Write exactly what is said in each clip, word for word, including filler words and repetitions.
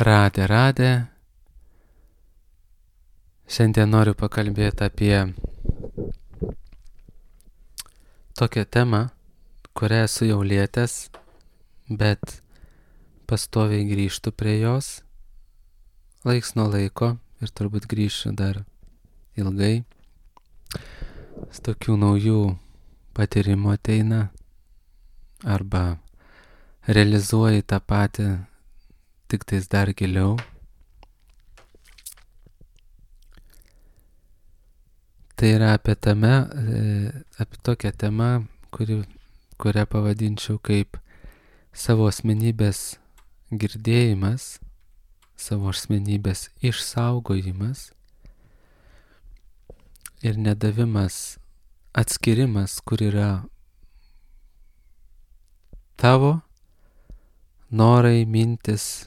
Radė, radė. Šiandien noriu pakalbėti apie tokią temą, kurią esu jau lietęs, bet pastoviai grįžtu prie jos, laiks nuo laiko ir turbūt grįšiu dar ilgai. Tokių naujų patyrimų ateina arba realizuoji tą patį, tik tais dar giliau. Tai yra apie tame, apie tokią temą, kuri, kurią pavadinčiau kaip savo asmenybės girdėjimas, savo asmenybės išsaugojimas ir nedavimas, atskirimas, kur yra tavo norai, mintis,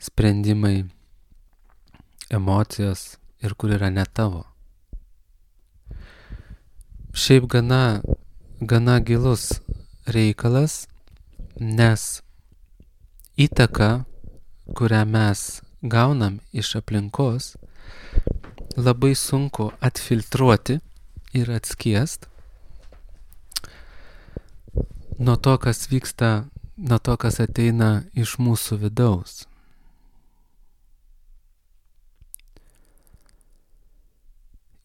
sprendimai, emocijos ir kur yra ne tavo. Šiaip gana, gana gilus reikalas, nes įtaka, kurią mes gaunam iš aplinkos, labai sunku atfiltruoti ir atskiest nuo to, kas vyksta, nuo to, kas ateina iš mūsų vidaus.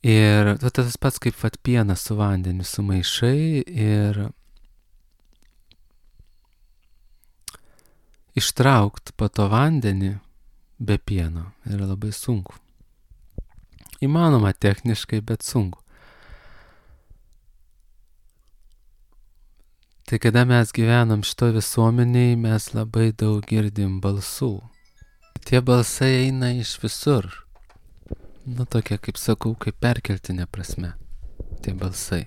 Ir tas pats kaip vat pieną su vandeniu sumaišai ir ištraukt po to vandenį be pieno yra labai sunku. Įmanoma techniškai, bet sunku. Tai kada mes gyvenam šito visuomeniai, mes labai daug girdim balsų. Tie balsai eina iš visur. Nu, tokia, kaip sakau, kaip perkeltinė prasme. Tie balsai.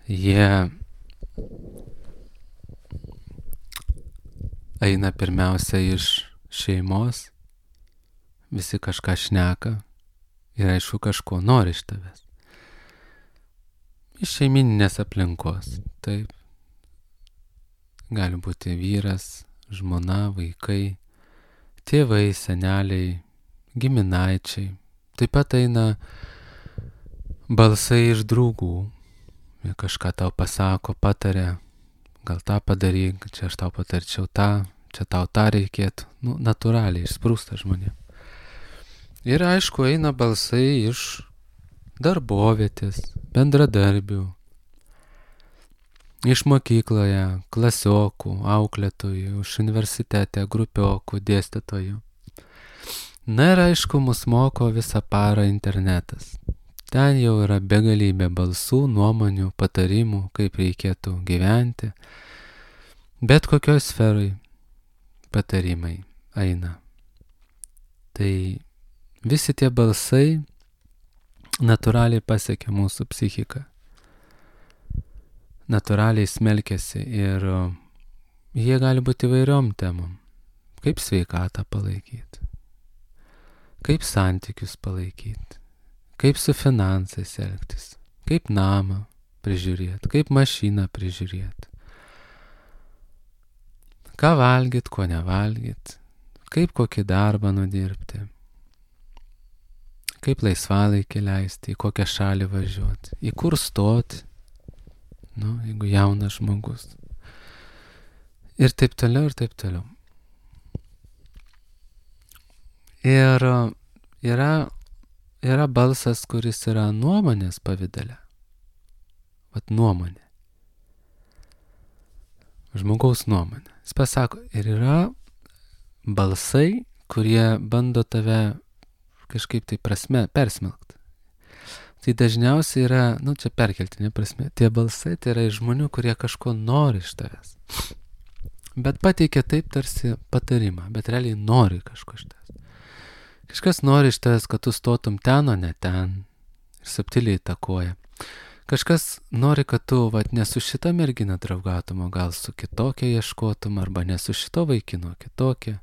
Jie eina pirmiausia iš šeimos, visi kažką šneka ir aišku kažko nori iš tavęs. Iš šeimininės aplinkos, taip. Gali būti vyras, žmona, vaikai, tėvai, seneliai, giminaičiai. Taip pat eina balsai iš draugų. Jie kažką tau pasako, patarė, gal tą padaryk, čia aš tau patarčiau tą, čia tau tą reikėtų. Nu, natūraliai išsprūsta žmonėm. Ir aišku, eina balsai iš darbovietės, bendradarbių, iš mokykloje, klasiokų, auklėtojų, iš universitete, grupiokų, dėstytojų. Na ir aišku, mus moko visą parą internetas. Ten jau yra begalybė balsų, nuomonių, patarimų, kaip reikėtų gyventi. Bet kokioj sferai patarimai eina. Tai visi tie balsai natūraliai pasiekia mūsų psichiką. Natūraliai smelkiasi ir jie gali būti įvairiom temom. Kaip sveikatą palaikyti. Kaip santykius palaikyti, kaip su finansais elgtis, kaip namą prižiūrėti, kaip mašiną prižiūrėti, ką valgyt, ko nevalgyt, kaip kokį darbą nudirbti, kaip laisvalaikį leisti, į kokią šalį važiuoti, į kur stoti, nu, jeigu jaunas žmogus. Ir taip toliau, ir taip toliau. Ir yra, yra balsas, kuris yra nuomonės pavidale. Vat nuomonė. Žmogaus nuomonė. Jis pasako, ir yra balsai, kurie bando tave kažkaip tai prasme persmelkti. Tai dažniausiai yra, nu čia perkeltinė prasme, tie balsai tai yra iš žmonių, kurie kažko nori iš tavęs. Bet pateikia taip tarsi patarimą, bet realiai nori kažko iš tavęs. Kažkas nori iš tavęs, kad tu stotum ten, o ne ten. Ir subtiliai įtakoja. Kažkas nori, kad tu vat, ne su šita mergina draugautum, o gal su kitokia ieškotum, arba ne su šito vaikino, kitokia.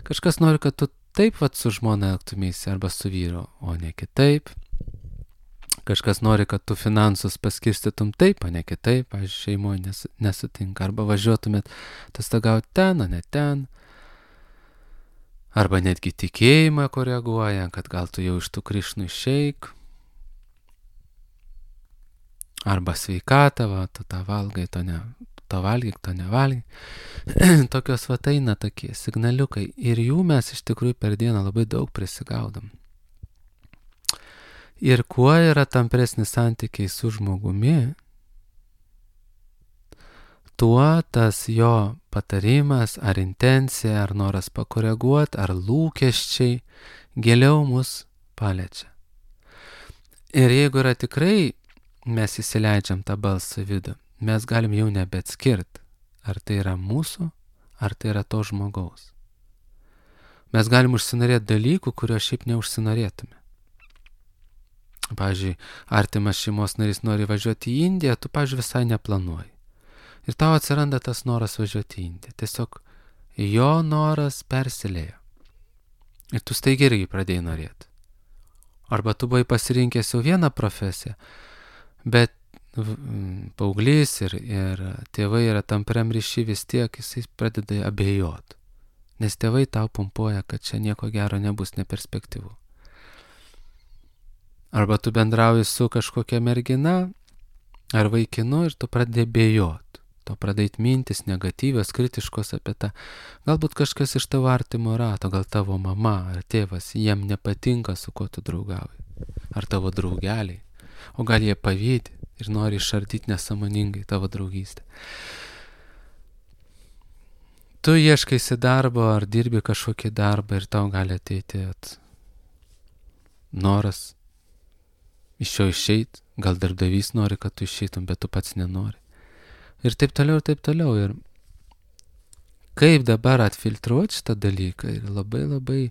Kažkas nori, kad tu taip vat su žmona elgtumėsi, arba su vyru, o ne kitaip. Kažkas nori, kad tu finansus paskirstytum taip, o ne kitaip, pavyzdžiui, šeimoje nes, nesutinka. Arba važiuotumėt atostogauti ten, o ne ten. Arba netgi tikėjimą koreguoja, kad gal tu jau iš tų Krišnų išeik. Arba sveikatą, va, tu tą valgai, to, ne, to valgyk, to nevalgyk. Tokios va eina tokie signaliukai. Ir jų mes iš tikrųjų per dieną labai daug prisigaudom. Ir kuo yra tampresnis santykiai su žmogumi, tuo tas jo patarimas, ar intencija, ar noras pakoreguoti, ar lūkesčiai giliau mus paliečia. Ir jeigu yra tikrai mes įsileidžiam tą balsą vidų, mes galim jau nebeatskirti, ar tai yra mūsų, ar tai yra to žmogaus. Mes galim užsinorėti dalykų, kurio šiaip neužsinorėtume. Pavyzdžiui, artimas šeimos narys nori važiuoti į Indiją, tu, pavyzdžiui, visai neplanuoji. Ir tau atsiranda tas noras važiuoti į Indiją. Tiesiog jo noras persilėjo. Ir tu staigiai irgi pradėjai norėti. Arba tu buvai pasirinkęs jau vieną profesiją, bet paauglys ir, ir tėvai yra tampriam ryšy, vis tiek jisai pradeda abejoti. Nes tėvai tau pumpuoja, kad čia nieko gero nebus, neperspektyvu. Arba tu bendrauji su kažkokia mergina ar vaikinu ir tu pradedi bejot. Tu pradedi mintis negatyvios, kritiškos apie tą. Galbūt kažkas iš tavo artimo rato, gal tavo mama ar tėvas, jiem nepatinka, su kuo tu draugauji. Ar tavo draugeliai. O gal jie pavydi ir nori išardyti nesąmoningai tavo draugystę. Tu ieškaisi darbo ar dirbi kažkokį darbą ir tau gali ateiti at noras iš jo išeit, gal darbdavys nori, kad tu išeitum, bet tu pats nenori. Ir taip toliau, ir taip toliau. Ir kaip dabar atfiltruoti šitą dalyką yra labai labai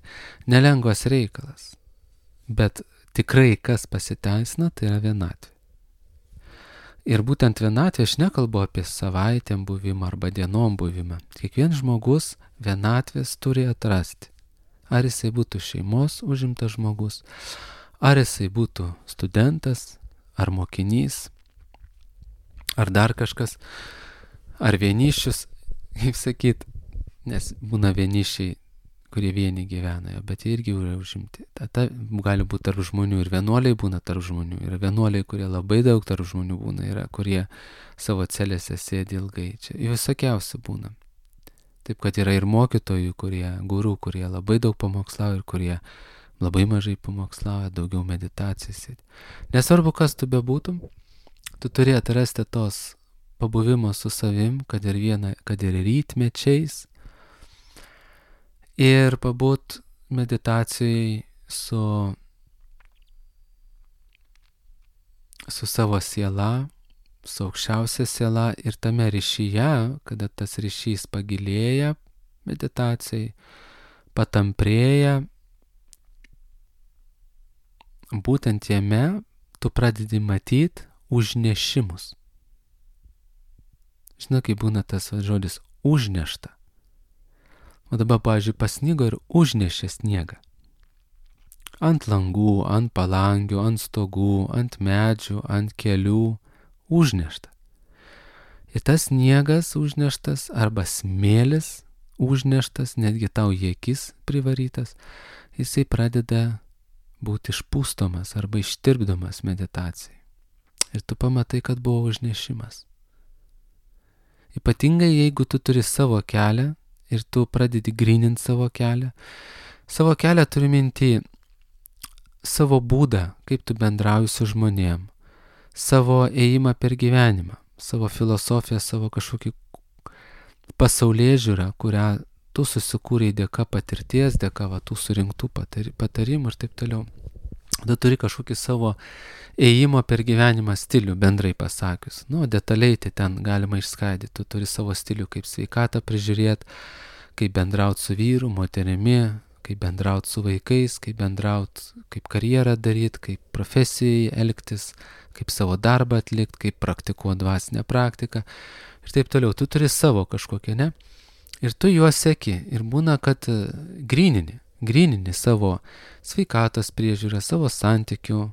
nelengvas reikalas. Bet tikrai kas pasiteisina, tai yra vienatvė. Ir būtent vienatvė, aš nekalbu apie savaitėm buvimą arba dienom buvimą. Kiekvienas žmogus vienatvės turi atrasti. Ar jisai būtų šeimos užimtas žmogus, ar jisai būtų studentas, ar mokinys, ar dar kažkas, ar vienišius, kaip sakyt, nes būna vienišiai, kurie vieni gyvena, bet jie irgi yra užimti. Tada gali būti tarp žmonių ir vienuoliai būna tarp žmonių. Yra vienuoliai, kurie labai daug tarp žmonių būna, yra kurie savo celėse sėdi ilgai. Čia visokiausi būna. Taip, kad yra ir mokytojų, kurie, gurų, kurie labai daug pamokslauja ir kurie labai mažai pamokslauja, daugiau meditacijos. Nesvarbu, kas tu bebūtum, tu turi atrasti tos pabuvimo su savim, kad ir viena, kad ir rytmečiais, ir pabūt meditacijai su, su savo siela, su aukščiausia siela ir tame ryšyje, kada tas ryšys pagilėja meditacijai, patamprėja, būtent jame tu pradedi matyti užnešimus. Žinai, kaip būna tas žodis užnešta. O dabar, pavyzdžiui, pasnigo ir užnešė sniegą. Ant langų, ant palangių, ant stogų, ant medžių, ant kelių užnešta. Ir tas sniegas užneštas arba smėlis užneštas, netgi tau į akis privarytas, jisai pradeda būti išpūstomas arba ištirpdomas meditacijai. Ir tu pamatai, kad buvo užnešimas. Ypatingai, jeigu tu turi savo kelią ir tu pradedi gryninti savo kelią. Savo kelią turi minti savo būdą, kaip tu bendrauji su žmonėm, savo ėjimą per gyvenimą, savo filosofiją, savo kažkokį pasaulėžiūrą, kurią tu susikūrei dėka patirties, dėka va, tų surinktų patarimų ir taip toliau. Tu turi kažkokį savo ėjimo per gyvenimą stilių, bendrai pasakius. Nu, detaliai tai ten galima išskaidyti. Tu turi savo stilių, kaip sveikatą prižiūrėti, kaip bendrauti su vyru, moterimi, kaip bendrauti su vaikais, kaip bendrauti, kaip karjerą daryti, kaip profesijai elgtis, kaip savo darbą atlikti, kaip praktikuoti dvasinę praktiką ir taip toliau. Tu turi savo kažkokią, ne? Ir tu juos seki. Ir būna, kad grynini, grynini savo sveikatos priežiūrą, savo santykių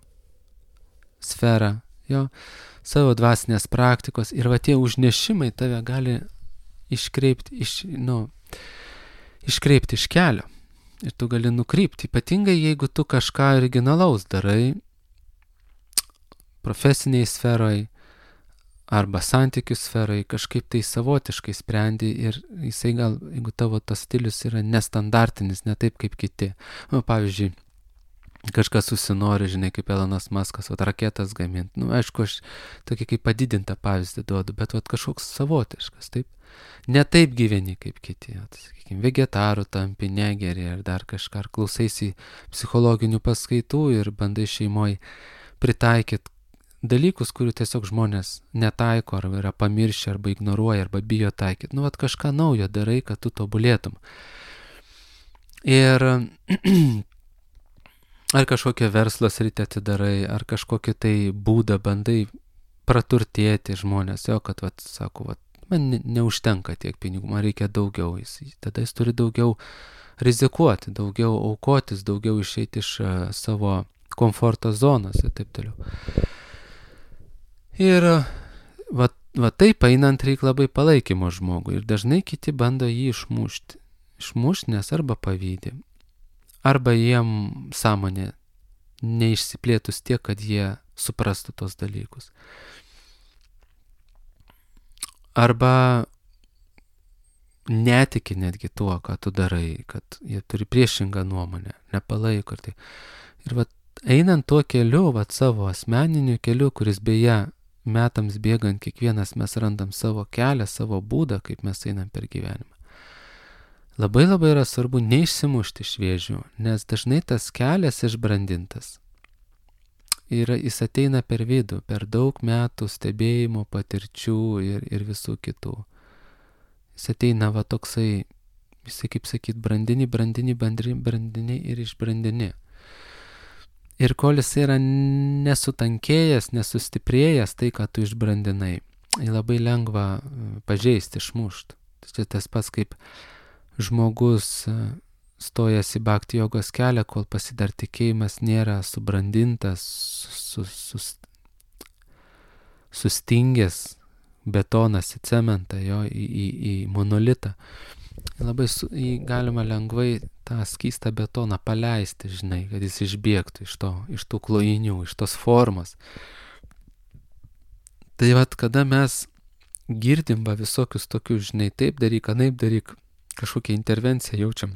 sferą, jo, savo dvasinės praktikos ir va tie užnešimai tave gali iškreipti iš, nu, iškreipti iš kelio. Ir tu gali nukrypti, ypatingai jeigu tu kažką originalaus darai profesiniai sferoj arba santykių sferoj, kažkaip tai savotiškai sprendi ir jisai gal, jeigu tavo tas stilius yra nestandartinis, ne taip kaip kiti. Nu, pavyzdžiui, kažkas susinori, žinai, kaip Elonas Muskas, vat raketas gaminti. Nu, aišku, aš tokį kaip padidintą pavyzdį duodu, bet vat kažkoks savotiškas, taip. Ne taip gyveni kaip kiti, vat, sakykime, vegetarų tampi, negeri ar dar kažką, ar klausaisi psichologinių paskaitų ir bandai šeimoje pritaikyti dalykus, kurių tiesiog žmonės netaiko, arba yra pamiršę, arba ignoruoja, arba bijo taikyti. Nu, vat kažką naujo darai, kad tu tobulėtum. Ir ar kažkokią verslo sritį atidarai, ar kažkokį tai būdą bandai praturtėti žmonės, jo, kad, vat, sako, vat, man ne, neužtenka tiek pinigų, man reikia daugiau. Jis, tada jis turi daugiau rizikuoti, daugiau aukotis, daugiau išeiti iš uh, savo komforto zonos ir taip toliau. Ir va, va taip einant reikia labai palaikymo žmogui ir dažnai kiti bando jį išmušti. Išmušti, nes arba pavydė, arba jiem sąmonė neišsiplėtus tiek, kad jie suprastų tos dalykus. Arba netiki netgi tuo, ką tu darai, kad jie turi priešingą nuomonę, nepalaiko. Ir, tai. ir va, einant tuo keliu, va, savo asmeniniu keliu, kuris beje metams bėgant kiekvienas mes randam savo kelią, savo būdą, kaip mes einam per gyvenimą. Labai labai yra svarbu neišsimušti iš vėžių, nes dažnai tas kelias išbrandintas. Ir jis ateina per vidų, per daug metų stebėjimo, patirčių ir, ir visų kitų. Jis ateina va toksai, visai kaip sakyt, brandini, brandini, brandini, brandini ir išbrandini. Ir kol jis yra nesutankėjęs, nesustiprėjęs tai, ką tu išbrandinai, jį labai lengva pažeisti, išmušti. Tai tas pats kaip žmogus stojas į bhakti jogos kelią, kol pasidar tikėjimas nėra subrandintas, sus, sus, sustingęs betonas į cementą, jo, į, į, į monolitą. Labai su, jį galima lengvai tą skystą betoną paleisti, žinai, kad jis išbėgtų iš, to, iš tų klojinių, iš tos formos. Tai vat, kada mes girdim va visokius tokius, žinai, taip daryk, anaip daryk, kažkokią intervenciją jaučiam,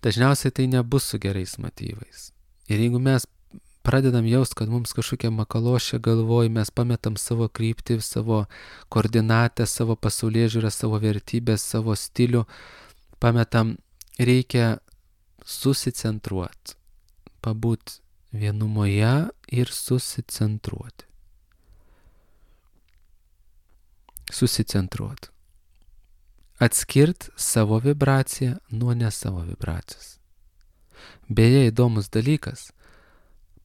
dažniausiai tai nebus su gerais motyvais. Ir jeigu mes pradedam jaust, kad mums kažkokia makalošė galvoj, mes pametam savo kryptį, savo koordinatę, savo pasaulėžiūrą, savo vertybės, savo stilių, pametam, reikia susicentruoti, pabūt vienumoje ir susicentruoti. Susicentruoti. Atskirt savo vibraciją nuo ne savo vibracijos. Beje, įdomus dalykas,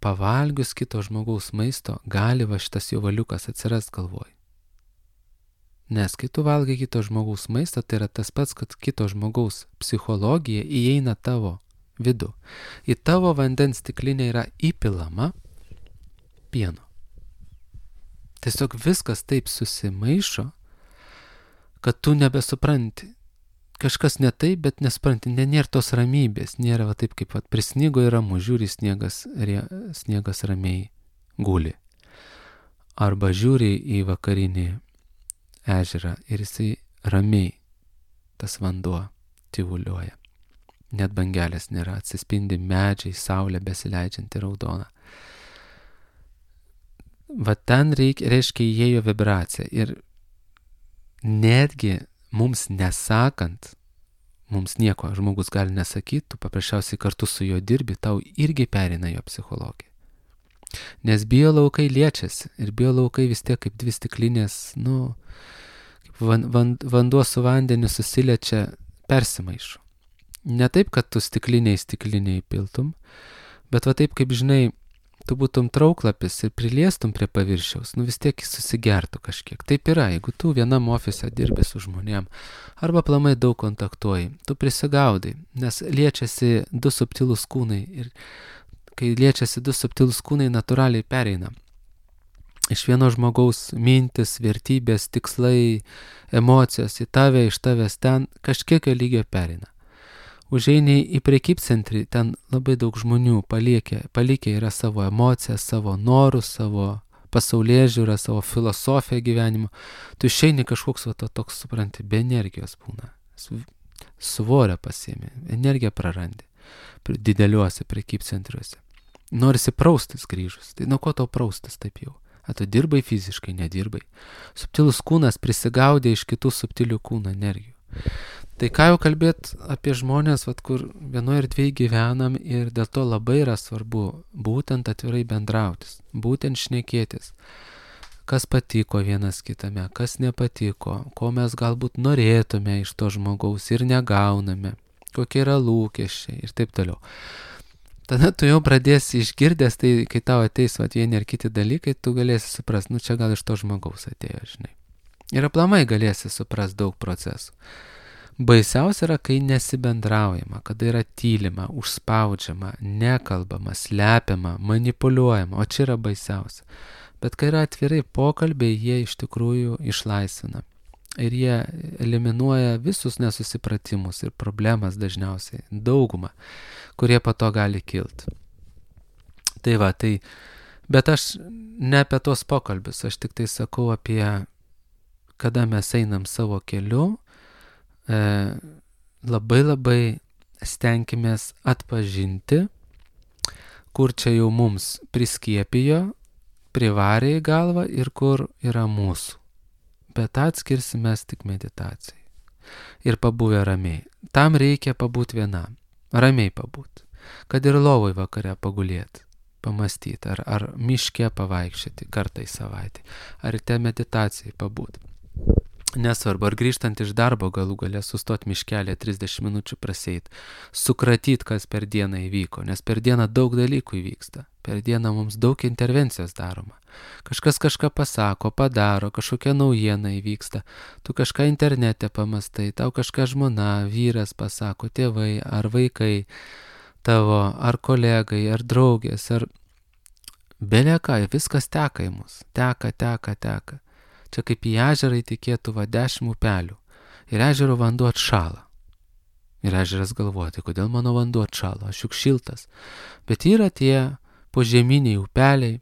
pavalgius kito žmogaus maisto, gali va šitas jo valiukas atsirast galvoj. Nes kai tu valgai kito žmogaus maistą, tai yra tas pats, kad kito žmogaus psichologija įeina tavo vidų. Į tavo vandens stiklinę yra įpilama pieno. Tiesiog viskas taip susimaišo, kad tu nebesupranti. Kažkas ne taip, bet nesupranti, ne, nėra tos ramybės, nėra va taip kaip va, prisnygo ir ramu, žiūri sniegas, rie, sniegas ramiai guli. Arba žiūri į vakarinį ežerą ir jisai ramiai, tas vanduo tyvuliuoja. Net bangelės nėra, atsispindi medžiai, saulė besileidžianti raudona. Va ten reikia, reiškia įėjo vibracija ir netgi mums nesakant, mums nieko, žmogus gali nesakyti, tu paprasčiausiai kartu su juo dirbi, tau irgi perina jo psichologija. Nes biolaukai liečiasi ir biolaukai vis tiek kaip dvi stiklinės, nu, kaip van, van, vanduo su vandeniu susiliečia, persimaišo. Ne taip, kad tu stikliniai stikliniai piltum, bet va taip, kaip žinai, tu būtum trauklapis ir priliestum prie paviršiaus, nu vis tiek jis susigertų kažkiek. Taip yra, jeigu tu vienam ofise dirbi su žmonėm, arba aplamai daug kontaktuoji, tu prisigaudai, nes liečiasi du subtilūs kūnai ir kai liečiasi du subtilūs kūnai, natūraliai pereina. Iš vieno žmogaus mintis, vertybės, tikslai, emocijos į tave, iš tavęs ten kažkiekio lygio pereina. Užeini į prekybcentrį, ten labai daug žmonių palikę, palikę yra savo emocijas, savo norus, savo pasaulėžiūrą, savo filosofiją gyvenimo. Tu išeini kažkoks va, toks, supranti, be energijos būna. Svorę pasiemi, energiją prarandi dideliuose prekybcentriuose. Norisi praustis grįžus. Tai nuo ko tau praustis taip jau? A tu dirbai fiziškai, nedirbai. Subtilus kūnas prisigaudė iš kitų subtilių kūno energijų. Tai ką jau kalbėt apie žmonės, vat, kur vienoje erdvėje gyvenam ir dėl to labai yra svarbu būtent atvirai bendrautis, būtent šnekėtis, kas patiko vienas kitame, kas nepatiko, ko mes galbūt norėtume iš to žmogaus ir negauname, kokie yra lūkesčiai ir taip toliau. Tada tu jau pradėsi išgirdęs, tai kai tau ateis vat, vieni ar kiti dalykai, tu galėsi suprast, nu čia gal iš to žmogaus atėjo, žinai. Ir aplamai galėsi suprast daug procesų. Baisiausia yra, kai nesibendraujama, kada yra tylima, užspaudžiama, nekalbama, slepiama, manipuliuojama, o čia yra baisiausia. Bet kai yra atvirai pokalbiai, jie iš tikrųjų išlaisvina. Ir jie eliminuoja visus nesusipratimus ir problemas dažniausiai, daugumą, kurie po to gali kilti. Tai va, tai, bet aš ne apie tos pokalbius, aš tik tai sakau apie, kada mes einam savo keliu, e, labai labai stenkimės atpažinti, kur čia jau mums priskiepijo, privarė į galvą ir kur yra mūsų. Bet atskirsime tik meditacijai. Ir pabuvę ramiai. Tam reikia pabūt vienam. Ramiai pabūt. Kad ir lovoj vakare pagulėti, pamastyti, ar, ar miške pavaikščioti kartą į savaitę, ar te meditacijai pabūt. Nesvarbu, ar grįžtant iš darbo galų galę sustot miškelė trisdešimt minučių praseit, sukratyt, kas per dieną įvyko, nes per dieną daug dalykų įvyksta. Per dieną mums daug intervencijos daroma. Kažkas kažką pasako, padaro, kažkokia naujiena įvyksta. Tu kažką internete pamastai, tau kažką žmona, vyras pasako, tėvai ar vaikai tavo, ar kolegai, ar draugės, ar beleką, viskas teka į mus. Teka, teka, teka. Čia kaip į ežerą įtikėtų va dešimt upelių. Ir ežero vanduo atšala. Ir ežeras galvoja, tai kodėl mano vanduo atšalo, aš juk šiltas. Bet yra tie požeminiai upeliai,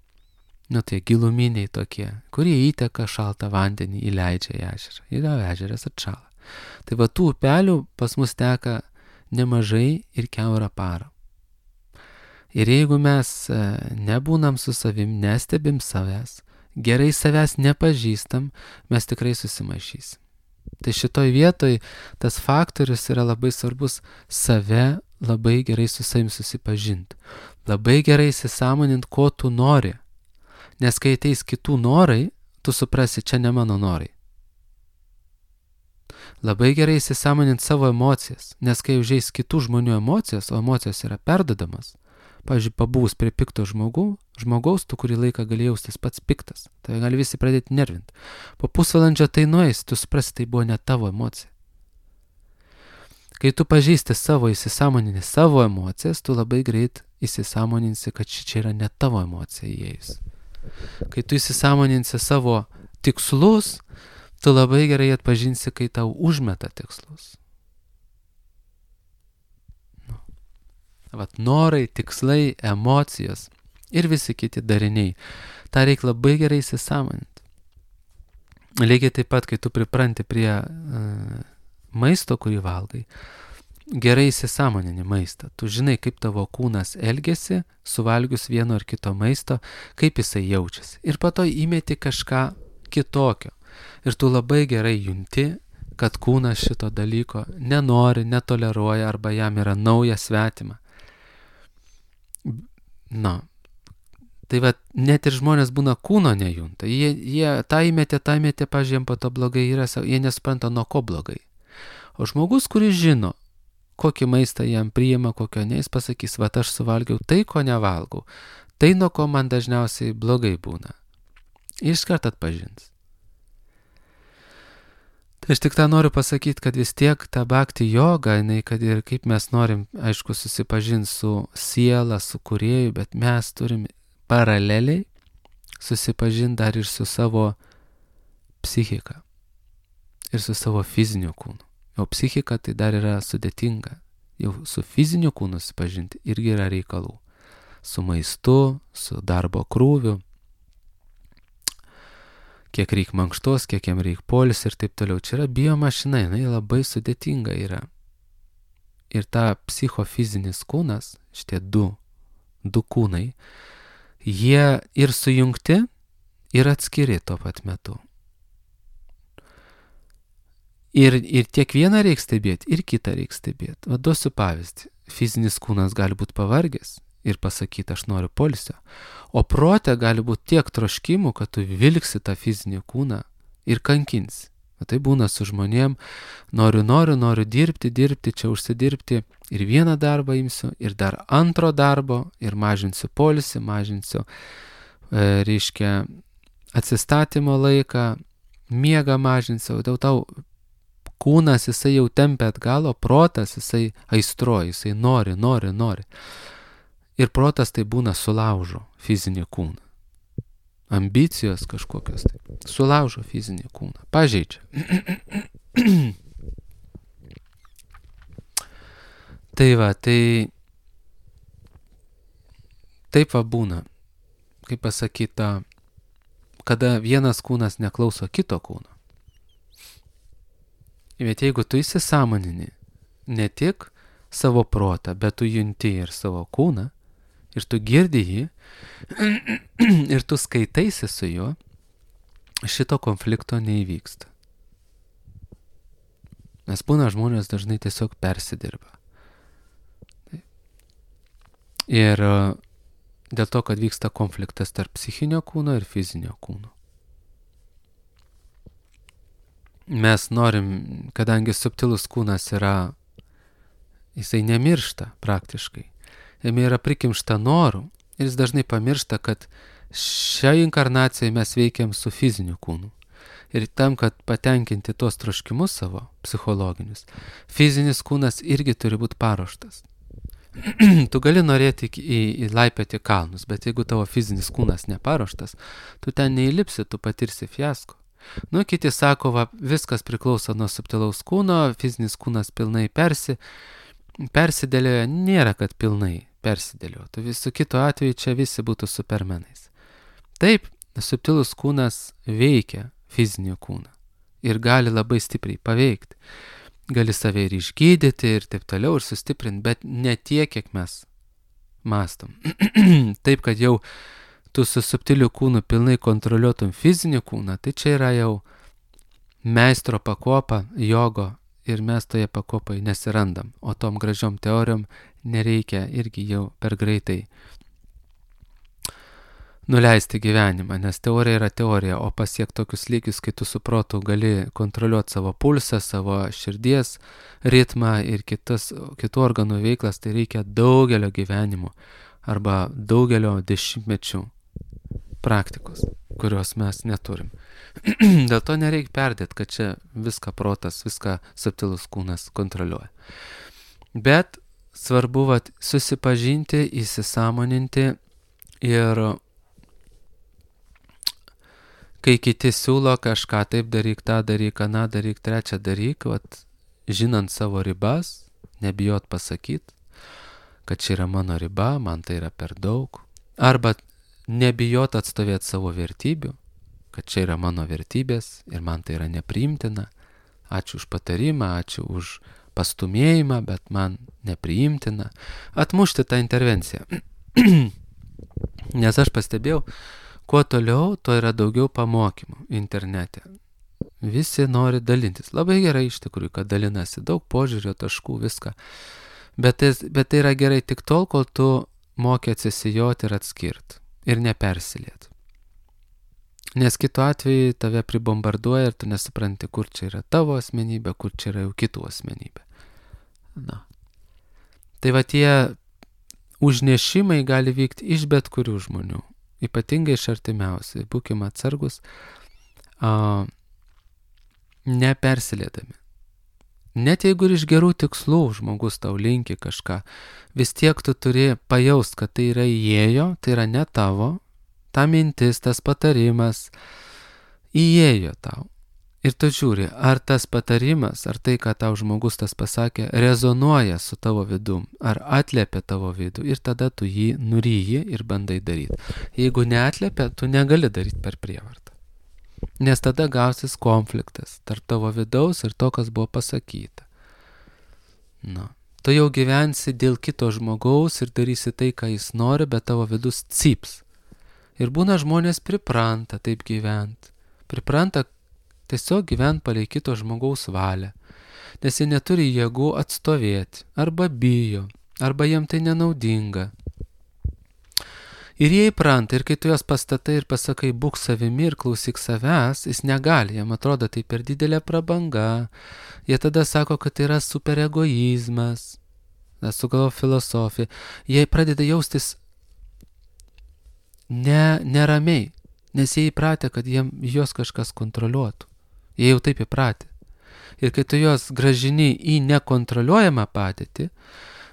nu tai giluminiai tokie, kurie įteka šaltą vandenį, įleidžia į ežerą. Ir ežeras atšala. Tai va tų upelių pas mus teka nemažai ir kiaurą parą. Ir jeigu mes nebūnam su savim, nestebim savęs, gerai savęs nepažįstam, mes tikrai susimaišysim. Tai šitoj vietoj tas faktorius yra labai svarbus save labai gerai su savim susipažinti. Labai gerai įsisąmonint, ko tu nori. Nes kai ateis kitų norai, tu suprasi, čia ne mano norai. Labai gerai įsisąmonint savo emocijas, nes kai užeis kitų žmonių emocijos, o emocijos yra perdodamas, pavyzdžiui, pabūs prie pikto žmogų, žmogaus, tu kurį laiką gali jaustis pats piktas. Tai gali visi pradėti nervinti. Po pusvalandžio tai nueis, tu suprasi, tai buvo ne tavo emocija. Kai tu pažįsti savo, įsisąmoninį savo emocijas, tu labai greit įsisąmoninsi, kad čia yra ne tavo emocija įėjus. Kai tu įsisąmoninsi savo tikslus, tu labai gerai atpažinsi, kai tau užmeta tikslus. Vat norai, tikslai, emocijos ir visi kiti dariniai. Ta reikia labai gerai įsisąmoninti. Lygiai taip pat, kai tu pripranti prie uh, maisto, kurį valgai, gerai įsisąmonini maistą. Tu žinai, kaip tavo kūnas elgiasi, suvalgius vieno ar kito maisto, kaip jisai jaučiasi. Ir po to įmeti kažką kitokio. Ir tu labai gerai junti, kad kūnas šito dalyko nenori, netoleruoja arba jam yra nauja svetima. Na, tai va, net ir žmonės būna kūno nejunta. Jie, jie tą įmetė, tą įmetė, pažiūrėjom, po to blogai yra, jie nespranta nuo ko blogai. O žmogus, kuris žino, kokį maistą jam priima, kokio ne, jis pasakys, va, aš suvalgiau tai, ko nevalgau. Tai, nuo ko man dažniausiai blogai būna. Ir iškart atpažins. Tai aš tik tą noriu pasakyti, kad vis tiek ta bhakti joga, jinai, kad ir kaip mes norim, aišku, susipažinti su siela, su kūrėju, bet mes turim paraleliai susipažinti dar ir su savo psichika ir su savo fiziniu kūnu. O psichika tai dar yra sudėtinga. Jau su fiziniu kūnu susipažinti irgi yra reikalų. Su maistu, su darbo krūviu, kiek reikia mankštos, kiek jam reikia polis ir taip toliau. Čia yra biomašina, jinai labai sudėtinga yra. Ir ta psichofizinis kūnas, šitie du, du kūnai, jie ir sujungti, ir atskiri tuo pat metu. Ir, ir tiek vieną reikia stebėti, ir kitą reikia stebėti. O duosiu pavyzdį. Fizinis kūnas gali būti pavargęs ir pasakyti, aš noriu poilsio. O prote gali būti tiek troškimų, kad tu vilksi tą fizinį kūną ir kankinsi. O tai būna su žmonėm, noriu, noriu, noriu dirbti, dirbti, čia užsidirbti. Ir vieną darbą imsiu, ir dar antro darbo, ir mažinsiu poilsį, mažinsiu, e, reiškia, atsistatymo laiką, miegą mažinsiu. Dėl tau kūnas jisai jau tempia atgalo, protas jisai aistruoja, jisai nori, nori, nori. Ir protas tai būna sulaužo fizinį kūną. Ambicijos kažkokios tai. Sulaužo fizinį kūną. Pažeidžia. Tai va, tai taip va būna. Kaip pasakyta, kada vienas kūnas neklauso kito kūno. Bet jeigu tu įsisąmonini ne tik savo protą, bet tu junti ir savo kūną, ir tu girdi jį, ir tu skaitaisi su juo, šito konflikto neįvyksta. Nes būna žmonės dažnai tiesiog persidirba. Ir dėl to, kad vyksta konfliktas tarp psichinio kūno ir fizinio kūno. Mes norim, kadangi subtilus kūnas yra, jisai nemiršta praktiškai. Jame yra prikimšta norų ir jis dažnai pamiršta, kad šią inkarnaciją mes veikiam su fiziniu kūnu. Ir tam, kad patenkinti tos troškimus savo psichologinius, fizinis kūnas irgi turi būti paruoštas. Tu gali norėti į, į laipioti kalnus, bet jeigu tavo fizinis kūnas neparuoštas, tu ten neįlipsi, tu patirsi fiasko. Nu, kiti sako, va, viskas priklauso nuo subtilaus kūno, fizinis kūnas pilnai persi, persidėlioja, nėra, kad pilnai persidėliotų. Visų kitų atveju čia visi būtų supermenais. Taip, subtilus kūnas veikia fizinį kūną ir gali labai stipriai paveikti. Gali save ir išgydyti ir taip toliau ir sustiprinti, bet ne tiek, kiek mes mąstom. Taip, kad jau tu su subtiliu kūnu pilnai kontroliuotum fizinį kūną, tai čia yra jau meistro pakopa, jogo ir mes toje pakopai nesirandam. O tom gražiom teorijom nereikia irgi jau per greitai nuleisti gyvenimą, nes teorija yra teorija, o pasiekti tokius lygius, kai tu su protu gali kontroliuoti savo pulsą, savo širdies ritmą ir kitas, kitų organų veiklas, tai reikia daugelio gyvenimų arba daugelio dešimtmečių praktikos, kurios mes neturim. Dėl to nereikia perdėti, kad čia viską protas, viską subtilus kūnas kontroliuoja. Bet svarbu vat, susipažinti, įsisąmoninti ir kai kiti siūlo kažką taip daryk, tą daryk, aną daryk, trečią daryk, vat, žinant savo ribas, nebijot pasakyti, kad čia yra mano riba, man tai yra per daug. Arba nebijot atstovėti savo vertybių, kad čia yra mano vertybės ir man tai yra nepriimtina. Ačiū už patarimą, ačiū už pastumėjimą, bet man nepriimtina. Atmušti tą intervenciją. Nes aš pastebėjau, kuo toliau, to yra daugiau pamokymų internete. Visi nori dalintis. Labai gerai iš tikrųjų, kad dalinasi. Daug požiūrio taškų, viską. Bet tai, bet tai yra gerai tik tol, kol tu moki atsisijoti ir atskirti. Ir nepersiliet. Nes kitu atveju tave pribombarduoja ir tu nesupranti, kur čia yra tavo asmenybė, kur čia yra jau kitų asmenybė. Na. Tai va tie užnešimai gali vykti iš bet kurių žmonių. Ypatingai iš artimiausiai. Būkime atsargus. A, nepersilėdami. Net jeigu ir iš gerų tikslų žmogus tau linki kažką, vis tiek tu turi pajaust, kad tai yra įėjo, tai yra ne tavo, ta mintis, tas patarimas įėjo tau. Ir tu žiūri, ar tas patarimas, ar tai, ką tau žmogus tas pasakė, rezonuoja su tavo vidum, ar atliepia tavo vidų, ir tada tu jį nuryji ir bandai daryti. Jeigu neatliepia, tu negali daryti per prievartą. Nes tada gausis konfliktas tarp tavo vidaus ir to, kas buvo pasakyta. Nu. Tu jau gyvensi dėl kito žmogaus ir darysi tai, ką jis nori, bet tavo vidus cyps. Ir būna žmonės pripranta taip gyventi. Pripranta tiesiog gyventi palei kito žmogaus valią. Nes jie neturi jėgų atstovėti, arba bijo, arba jiem tai nenaudinga. Ir jie įpranta, ir kai tu juos pastatai ir pasakai, būk savimi ir klausyk savęs, jis negali, jam atrodo tai per didelė prabanga. Jie tada sako, kad tai yra super egoizmas, sugalvo filosofiją. Jie pradeda jaustis ne, neramiai, nes jie įpratę, kad jiem, juos kažkas kontroliuotų. Jie jau taip įpratę. Ir kai tu juos gražini į nekontroliuojamą padėtį,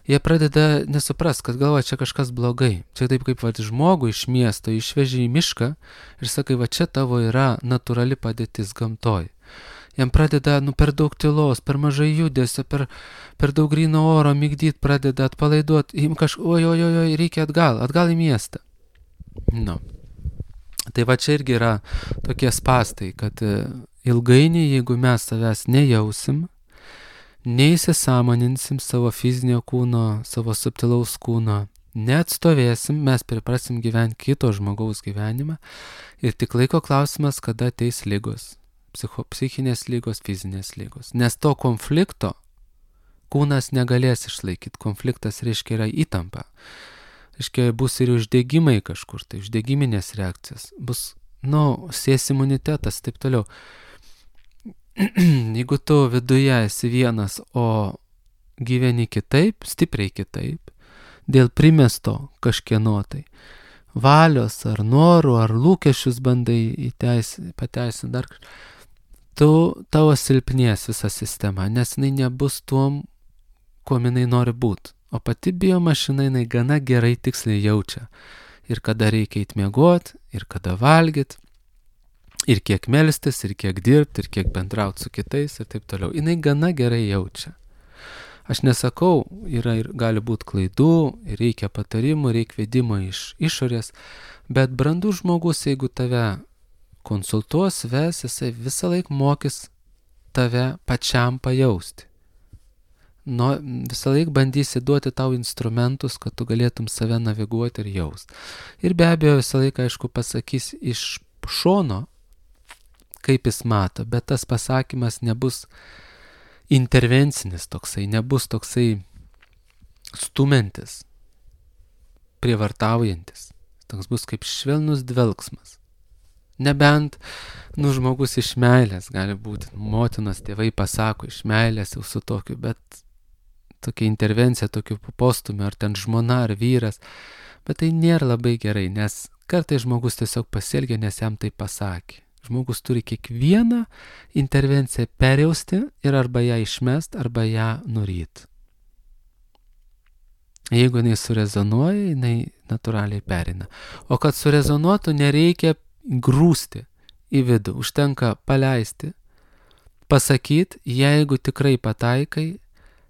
jie pradeda nesuprast, kad galva čia kažkas blogai. Čia taip kaip va, žmogų iš miesto išveži į mišką ir sakai, va čia tavo yra natūrali padėtis gamtoj. Jam pradeda nu, per daug tylos, per mažai judesio, per, per daug gryno oro migdyt, pradeda atpalaiduoti. Jim kažkaip, oj, oj, oj, oj, reikia atgal, atgal į miestą. Nu. Tai va čia irgi yra tokie spastai, kad ilgainiui, jeigu mes savęs nejausim, neįsisąmoninsim savo fizinio kūno, savo subtilaus kūno, neatstovėsim, mes priprasim gyventi kito žmogaus gyvenimą ir tik laiko klausimas, kada ateis lygos, psicho, psichinės lygos, fizinės lygos. Nes to konflikto kūnas negalės išlaikyti. Konfliktas reiškia yra įtampa. Reiškia bus ir uždegimai kažkur, tai uždegiminės reakcijas. Bus, nu, sės imunitetas, taip toliau. Jeigu tu viduje esi vienas, o gyveni kitaip, stipriai kitaip, dėl primesto kažkieno tai valios ar norų, ar lūkesčius bandai įteisi, pateisinti dar kažką, tu tavo silpnės visa sistema, nes jinai nebus tuom, kuo jinai nori būti. O pati biomašina jinai gana gerai tiksliai jaučia. Ir kada reikia įtmiegot, ir kada valgyt, ir kiek melstis, ir kiek dirbti, ir kiek bendrauti su kitais, ir taip toliau. Jinai gana gerai jaučia. Aš nesakau, yra ir gali būti klaidų, ir reikia patarimų, reikia vedimo iš išorės, bet brandus žmogus, jeigu tave konsultuos, ves, jisai visą laiką mokys tave pačiam pajausti. No, visą laiką bandysi duoti tau instrumentus, kad tu galėtum save naviguoti ir jaust. Ir be abejo visą laiką, aišku, pasakys iš šono, kaip jis mato, bet tas pasakymas nebus intervencinis toksai, nebus toksai stumiantis, prievartaujantis. Toks bus kaip švelnus dvelksmas. Nebent, nu, žmogus iš meilės gali būti, motinos tėvai pasako iš meilės jau su tokiu, bet tokia intervencija, tokiu postumiu, ar ten žmona, ar vyras, bet tai nėra labai gerai, nes kartais žmogus tiesiog pasielgia, nes jam tai pasakė. Žmogus turi kiekvieną intervenciją perjausti ir arba ją išmest, arba ją nuryt. Jeigu jinai surezonuoja, jinai natūraliai perina. O kad surezonuotų, nereikia grūsti į vidų, užtenka paleisti, pasakyti, jeigu tikrai pataikai,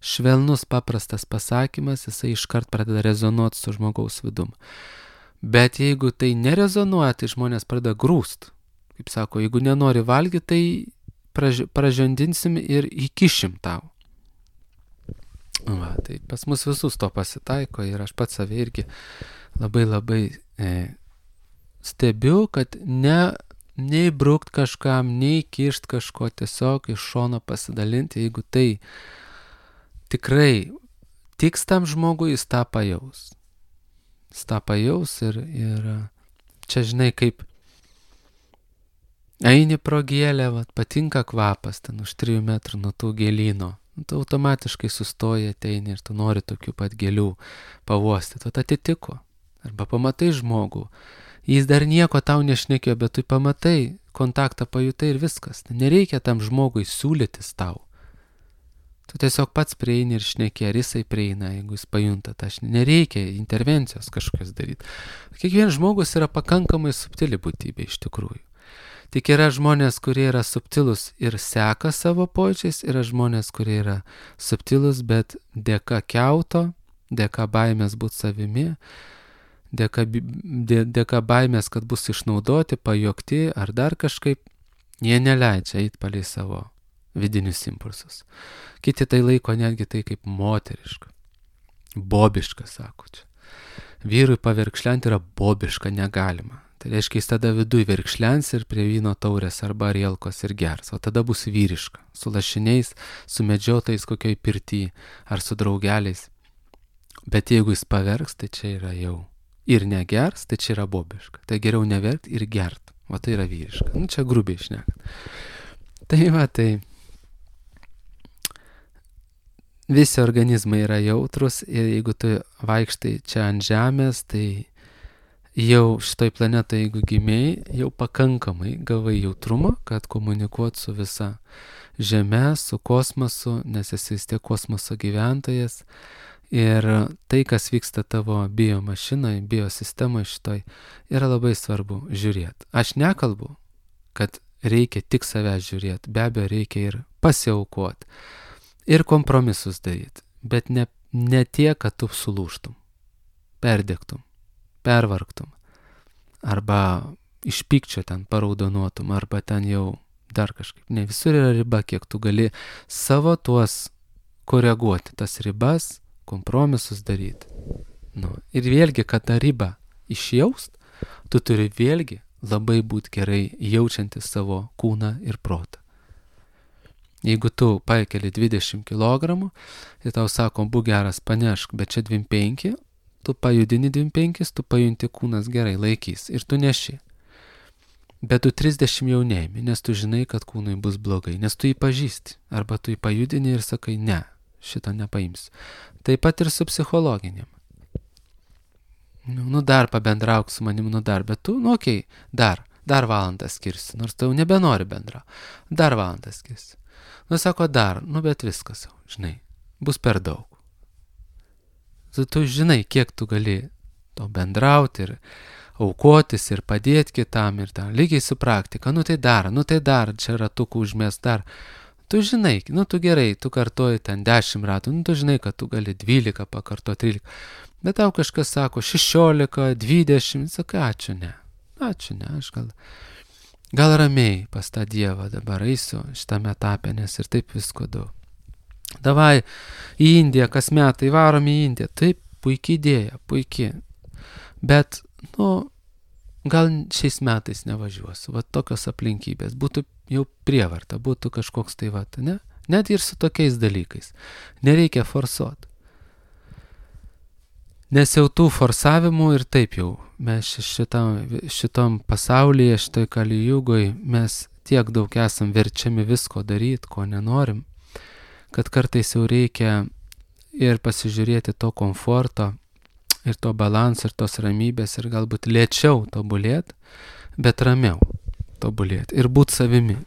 švelnus paprastas pasakymas, jisai iškart pradeda rezonuoti su žmogaus vidum. Bet jeigu tai nerezonuoja, tai žmonės pradeda grūst. Kaip sako, jeigu nenori valgyti, tai praž- pražandinsim ir įkišim tau. Va, tai pas mus visus to pasitaiko ir aš pats save irgi labai labai e, stebiu, kad ne, nei brukt kažkam, nei kišt kažko, tiesiog iš šono pasidalinti, jeigu tai tikrai tiks tam žmogui, jis tą pajaus. Jis tą pajaus ir, ir čia žinai, kaip eini pro gėlę, vat, patinka kvapas ten už trijų metrų nuo tų gėlyno. Tu automatiškai sustoji, ateini ir tu nori tokių pat gėlių pavostyti. Tu atitiko. Arba pamatai žmogų. Jis dar nieko tau nešnekėjo, bet tu pamatai, kontaktą pajutai ir viskas. Nereikia tam žmogui siūlytis tau. Tu tiesiog pats prieini ir šneki, ar jisai prieina, jeigu jis pajunta tą šnekį. Nereikia intervencijos kažkokios daryti. Kiekvienas žmogus yra pakankamai subtili būtybė iš tikrųjų. Tik yra žmonės, kurie yra subtilus ir seka savo pojūčiais, yra žmonės, kurie yra subtilus, bet dėka kiauto, dėka baimės būti savimi, dėka, dė, dėka baimės, kad bus išnaudoti, pajokti ar dar kažkaip, jie neleidžia eiti palei savo vidinius impulsus. Kiti tai laiko netgi tai kaip moteriška, bobiška, sako čia. Vyrui paverkšlenti yra bobiška, negalima. Tai reiškia, jis tada viduj verkšlens ir prie vyno taurės arba rielkos ir gers, o tada bus vyriška, su lašiniais, su medžiotais kokioj pirty ar su draugeliais. Bet jeigu jis paverks, tai čia yra jau ir negers, tai čia yra bobiška. Tai geriau neverkt ir gert, o tai yra vyriška. Nu, čia grubiai šnekant. Tai va, tai visi organizmai yra jautrus ir jeigu tu vaikštai čia ant žemės, tai jau šitoj planetoje, jeigu gimėjai, jau pakankamai gavai jautrumą, kad komunikuot su visa Žeme, su kosmosu, nes esi vis tiek kosmoso gyventojas. Ir tai, kas vyksta tavo biomašinai, biosistemai šitoj, yra labai svarbu žiūrėti. Aš nekalbu, kad reikia tik savęs žiūrėti, be abejo reikia ir pasiaukoti, ir kompromisus daryti, bet ne, ne tiek, kad tu sulūžtum, perdegtum, pervargtum, arba iš pykčio ten paraudonuotum, arba ten jau dar kažkaip. Ne, visur yra riba, kiek tu gali savo tuos koreguoti, tas ribas, kompromisus daryti. Nu, ir vėlgi, kad tą ribą išjaust, tu turi vėlgi labai būti gerai jaučiantis savo kūną ir protą. Jeigu tu pakeli dvidešimt kilogramų, tai tau sako, būk geras, panešk, bet čia dvidešimt penki, tu pajudini dvidešimt penkis, tu pajunti kūnas gerai laikys ir tu neši. Bet tu trisdešimt jau neimi, nes tu žinai, kad kūnui bus blogai, nes tu jį pažįsti. Arba tu jį pajudini ir sakai, ne, šito nepaimsiu. Taip pat ir su psichologiniam. Nu, nu dar pabendrauk su manim, nu dar, bet tu, nu okei, okay, dar, dar valandą skirsi, nors tu jau nebenori bendrau. Dar valandą skirsi. Nu sako, dar, nu bet viskas jau, žinai, bus per daug. Tu, tu žinai, kiek tu gali to bendrauti ir aukotis ir padėti kitam ir tam. Lygiai su praktika, nu tai dar, nu tai dar, čia ratukų užmės dar. Tu žinai, nu tu gerai, tu kartoji ten dešimt ratų, nu tu žinai, kad tu gali dvylika pakartoti, trylika. Bet tau kažkas sako šešiolika, dvidešimt, sakai, ačiū ne, ačiū ne, aš gal, gal ramiai pas tą Dievą dabar eisiu šitame etape, nes ir taip visko daug. Davai į Indiją, kas metai varom į Indiją. Taip, puikiai idėja, puikiai. Bet, nu, gal šiais metais nevažiuosiu. Va tokios aplinkybės. Būtų jau prievarta, būtų kažkoks tai va, ne? Net ir su tokiais dalykais. Nereikia forsuoti. Nes jau tų forsavimų ir taip jau. Mes šitam, šitam pasaulyje, šitoj kalijugoj, mes tiek daug esam verčiami visko daryti, ko nenorim, kad kartais jau reikia ir pasižiūrėti to komforto, ir to balanso, ir tos ramybės, ir galbūt lėčiau tobulėti, bet ramiau tobulėti ir būti savimi.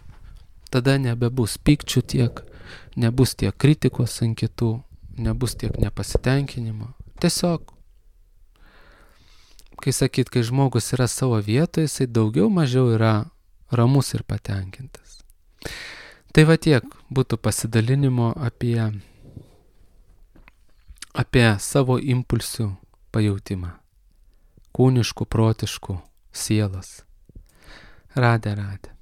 Tada nebebus pykčių tiek, nebus tiek kritikos ant kitų, nebus tiek nepasitenkinimo. Tiesiog, kai sakyt, kai žmogus yra savo vietoje, jisai daugiau mažiau yra ramus ir patenkintas. Tai va tiek būtų pasidalinimo apie, apie savo impulsų pajautimą. Kūniškų, protiškų, sielos. Radė, radė.